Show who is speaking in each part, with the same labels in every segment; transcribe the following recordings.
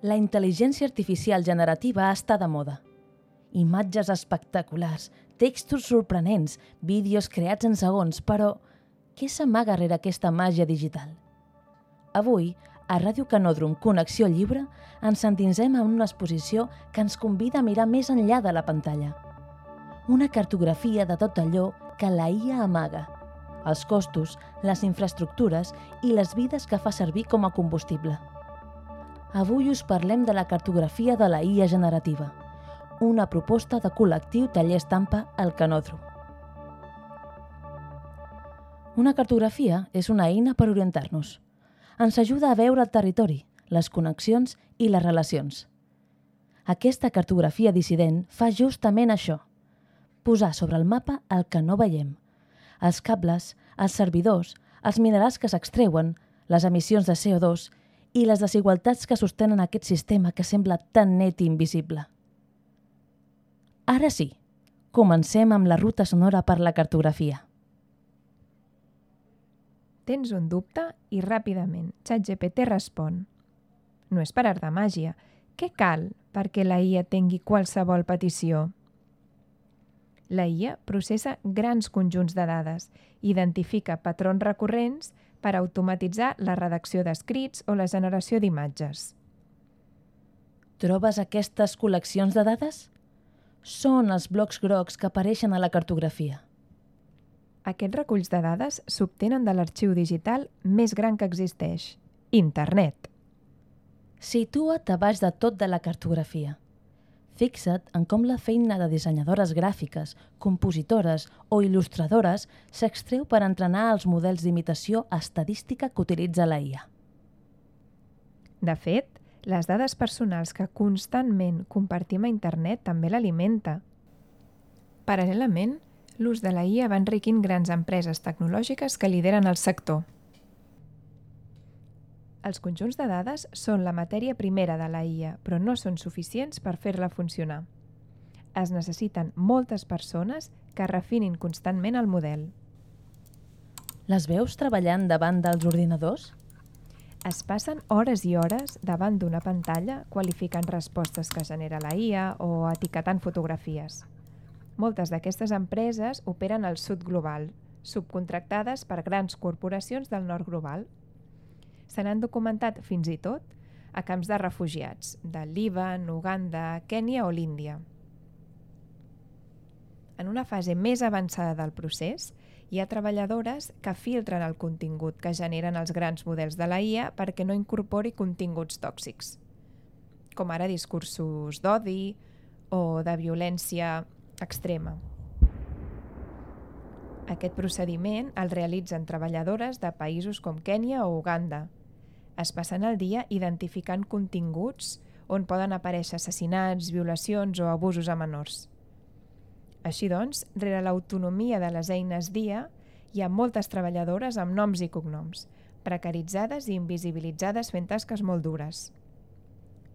Speaker 1: La intel·ligència artificial generativa està de moda. Imatges espectaculars, textos sorprenents, vídeos creats en segons, però què s'amaga rere aquesta màgia digital? Avui, a Ràdio Canòdrom Connexió Lliure, ens endinsem en una exposició que ens convida a mirar més enllà de la pantalla. Una cartografia de tot allò que la IA amaga, els costos, les infraestructures i les vides que fa servir com a combustible. Avui us parlem de la cartografia de la IA generativa, una proposta de col·lectiu Taller Estampa al Canòdrom. Una cartografia és una eina per orientar-nos. Ens ajuda a veure el territori, les connexions i les relacions. Aquesta cartografia dissident fa justament això, posar sobre el mapa el que no veiem, els cables, els servidors, els minerals que s'extreuen, les emissions de CO2 i les desigualtats que sostenen aquest sistema que sembla tan net i invisible. Ara sí, comencem amb la ruta sonora per la cartografia.
Speaker 2: Tens un dubte i ràpidament ChatGPT respon. No és per art de màgia. Què cal perquè la IA tingui qualsevol petició? La IA processa grans conjunts de dades, identifica patrons recurrents per automatitzar la redacció d'escrits o la generació d'imatges.
Speaker 1: Trobes aquestes col·leccions de dades? Són els blocs grocs que apareixen a la cartografia.
Speaker 2: Aquests reculls de dades s'obtenen de l'arxiu digital més gran que existeix, Internet.
Speaker 1: Situa't a baix de tot de la cartografia. Fixa't en com la feina de dissenyadores gràfiques, compositores o il·lustradores s'extreu per entrenar els models d'imitació estadística que utilitza la IA.
Speaker 2: De fet, les dades personals que constantment compartim a Internet també l'alimenta. Paral·lelament, l'ús de la IA va enriquint grans empreses tecnològiques que lideren el sector. Els conjunts de dades són la matèria primera de la IA, però no són suficients per fer-la funcionar. Es necessiten moltes persones que refinin constantment el model.
Speaker 1: Les veus treballant davant dels ordinadors?
Speaker 2: Es passen hores i hores davant d'una pantalla qualificant respostes que genera la IA o etiquetant fotografies. Moltes d'aquestes empreses operen al sud global, subcontractades per grans corporacions del nord global. Se n'han documentat fins i tot a camps de refugiats, de Líban, Uganda, Kènia o l'Índia. En una fase més avançada del procés, hi ha treballadores que filtren el contingut que generen els grans models de la IA perquè no incorpori continguts tòxics, com ara discursos d'odi o de violència extrema. Aquest procediment el realitzen treballadores de països com Kènia o Uganda. Es passen el dia identificant continguts on poden aparèixer assassinats, violacions o abusos a menors. Així doncs, rere l'autonomia de les eines d'IA, hi ha moltes treballadores amb noms i cognoms, precaritzades i invisibilitzades fent tasques molt dures.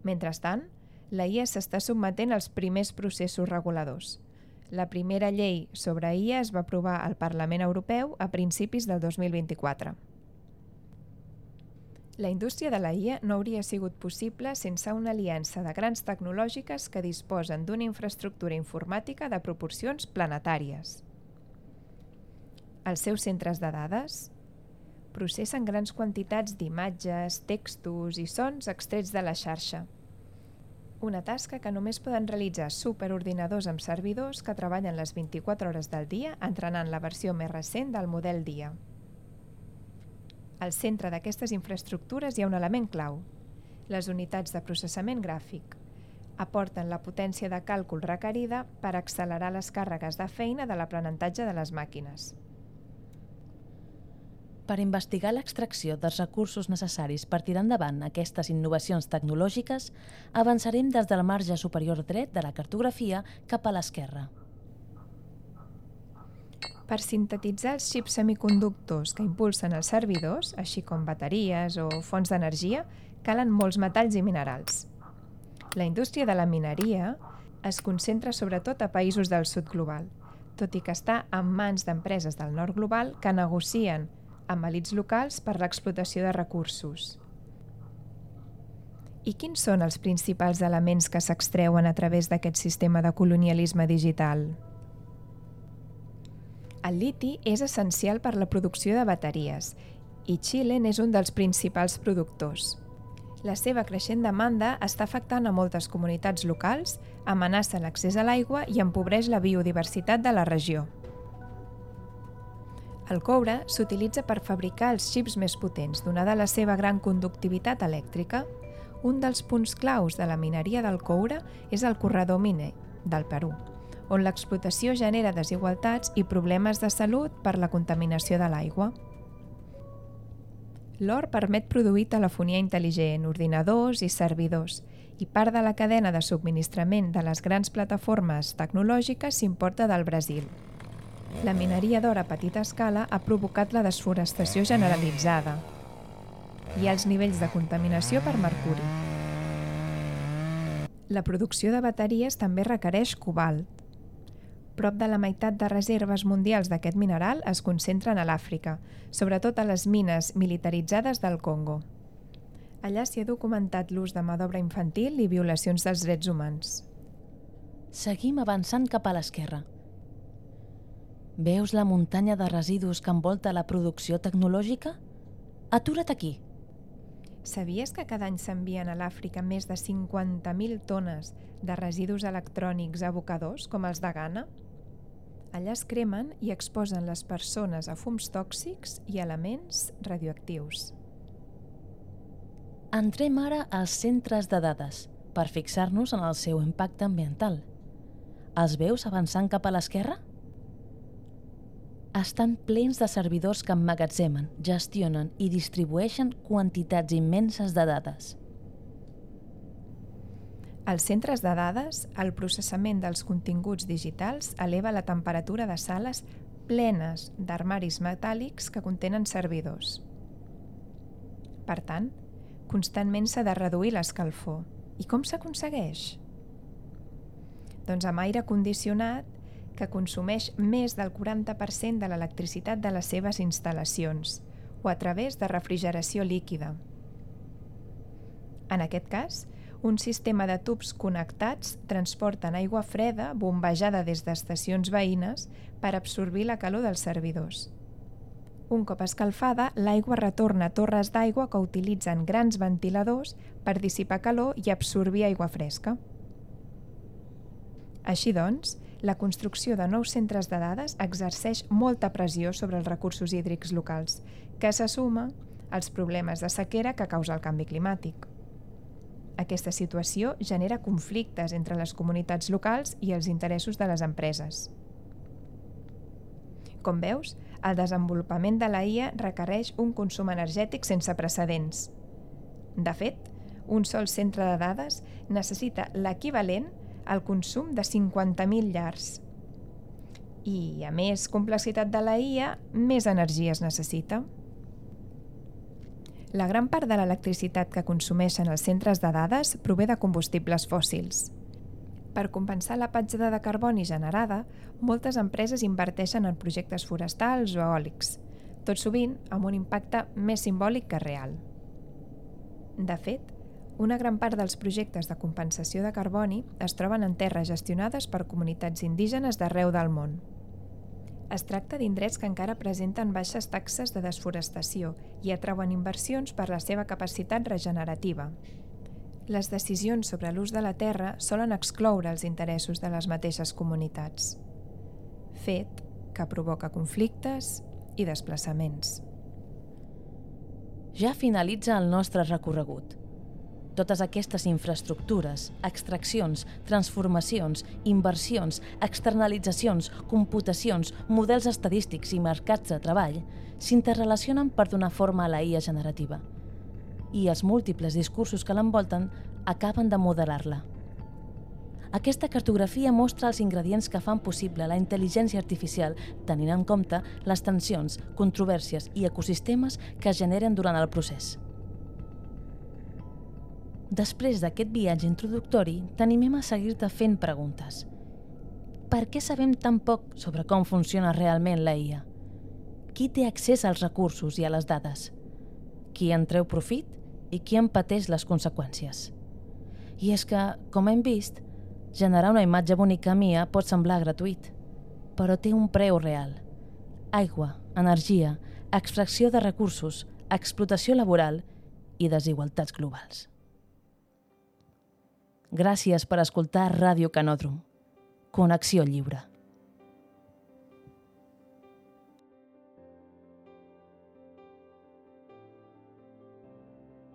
Speaker 2: Mentrestant, la IA s'està sotmetent als primers processos reguladors. La primera llei sobre IA es va aprovar al Parlament Europeu a principis del 2024. La indústria de la IA no hauria sigut possible sense una aliança de grans tecnològiques que disposen d'una infraestructura informàtica de proporcions planetàries. Els seus centres de dades processen grans quantitats d'imatges, textos i sons extrets de la xarxa. Una tasca que només poden realitzar superordinadors amb servidors que treballen les 24 hores del dia entrenant la versió més recent del model d'IA. Al centre d'aquestes infraestructures hi ha un element clau, les unitats de processament gràfic. Aporten la potència de càlcul requerida per accelerar les càrregues de feina de l'aprenentatge de les màquines.
Speaker 1: Per investigar l'extracció dels recursos necessaris per tirar endavant aquestes innovacions tecnològiques, avançarem des del marge superior dret de la cartografia cap a l'esquerra.
Speaker 2: Per sintetitzar els xips semiconductors que impulsen els servidors, així com bateries o fonts d'energia, calen molts metalls i minerals. La indústria de la mineria es concentra sobretot a països del sud global, tot i que està en mans d'empreses del nord global que negocien amb elits locals per l'explotació de recursos. I quins són els principals elements que s'extreuen a través d'aquest sistema de colonialisme digital? El liti és essencial per la producció de bateries i Xile n'és un dels principals productors. La seva creixent demanda està afectant a moltes comunitats locals, amenaça l'accés a l'aigua i empobreix la biodiversitat de la regió. El coure s'utilitza per fabricar els xips més potents, donada la seva gran conductivitat elèctrica. Un dels punts claus de la mineria del coure és el corredor miner del Perú, on l'explotació genera desigualtats i problemes de salut per la contaminació de l'aigua. L'or permet produir telefonia intel·ligent, ordinadors i servidors, i part de la cadena de subministrament de les grans plataformes tecnològiques s'importa del Brasil. La mineria d'or a petita escala ha provocat la desforestació generalitzada i els nivells de contaminació per mercuri. La producció de bateries també requereix cobalt. Prop de la meitat de reserves mundials d'aquest mineral es concentren a l'Àfrica, sobretot a les mines militaritzades del Congo. Allà s'hi ha documentat l'ús de mà d'obra infantil i violacions dels drets humans.
Speaker 1: Seguim avançant cap a l'esquerra. Veus la muntanya de residus que envolta la producció tecnològica? Atura't aquí.
Speaker 2: Sabies que cada any s'envien a l'Àfrica més de 50.000 tones de residus electrònics a abocadors, com els de Ghana? Allà es cremen i exposen les persones a fums tòxics i elements radioactius.
Speaker 1: Entrem ara als centres de dades per fixar-nos en el seu impacte ambiental. Els veus avançant cap a l'esquerra? Estan plens de servidors que emmagatzemen, gestionen i distribueixen quantitats immenses de dades.
Speaker 2: Als centres de dades, el processament dels continguts digitals eleva la temperatura de sales plenes d'armaris metàl·lics que contenen servidors. Per tant, constantment s'ha de reduir l'escalfor. I com s'aconsegueix? Doncs amb aire condicionat que consumeix més del 40% de l'electricitat de les seves instal·lacions o a través de refrigeració líquida. En aquest cas, un sistema de tubs connectats transporten aigua freda bombejada des d'estacions veïnes per absorbir la calor dels servidors. Un cop escalfada, l'aigua retorna a torres d'aigua que utilitzen grans ventiladors per dissipar calor i absorbir aigua fresca. Així doncs, la construcció de nous centres de dades exerceix molta pressió sobre els recursos hídrics locals, que se suma als problemes de sequera que causa el canvi climàtic. Aquesta situació genera conflictes entre les comunitats locals i els interessos de les empreses. Com veus, el desenvolupament de la IA requereix un consum energètic sense precedents. De fet, un sol centre de dades necessita l'equivalent al consum de 50.000 llars. I, a més complexitat de la IA, més energia es necessita. La gran part de l'electricitat que consumeixen els centres de dades prové de combustibles fòssils. Per compensar la petjada de carboni generada, moltes empreses inverteixen en projectes forestals o eòlics, tot sovint amb un impacte més simbòlic que real. De fet, una gran part dels projectes de compensació de carboni es troben en terres gestionades per comunitats indígenes d'arreu del món. Es tracta d'indrets que encara presenten baixes taxes de desforestació i atrauen inversions per la seva capacitat regenerativa. Les decisions sobre l'ús de la terra solen excloure els interessos de les mateixes comunitats, fet que provoca conflictes i desplaçaments.
Speaker 1: Ja finalitza el nostre recorregut. Totes aquestes infraestructures, extraccions, transformacions, inversions, externalitzacions, computacions, models estadístics i mercats de treball s'interrelacionen per donar forma a la IA generativa. I els múltiples discursos que l'envolten acaben de modelar-la. Aquesta cartografia mostra els ingredients que fan possible la intel·ligència artificial, tenint en compte les tensions, controvèrsies i ecosistemes que es generen durant el procés. Després d'aquest viatge introductori, t'animem a seguir-te fent preguntes. Per què sabem tan poc sobre com funciona realment la IA? Qui té accés als recursos i a les dades? Qui en treu profit i qui en pateix les conseqüències. I és que, com hem vist, generar una imatge bonica mia pot semblar gratuït, però té un preu real. Aigua, energia, extracció de recursos, explotació laboral i desigualtats globals. Gràcies per escoltar Ràdio Canòdrom. Connexió lliure.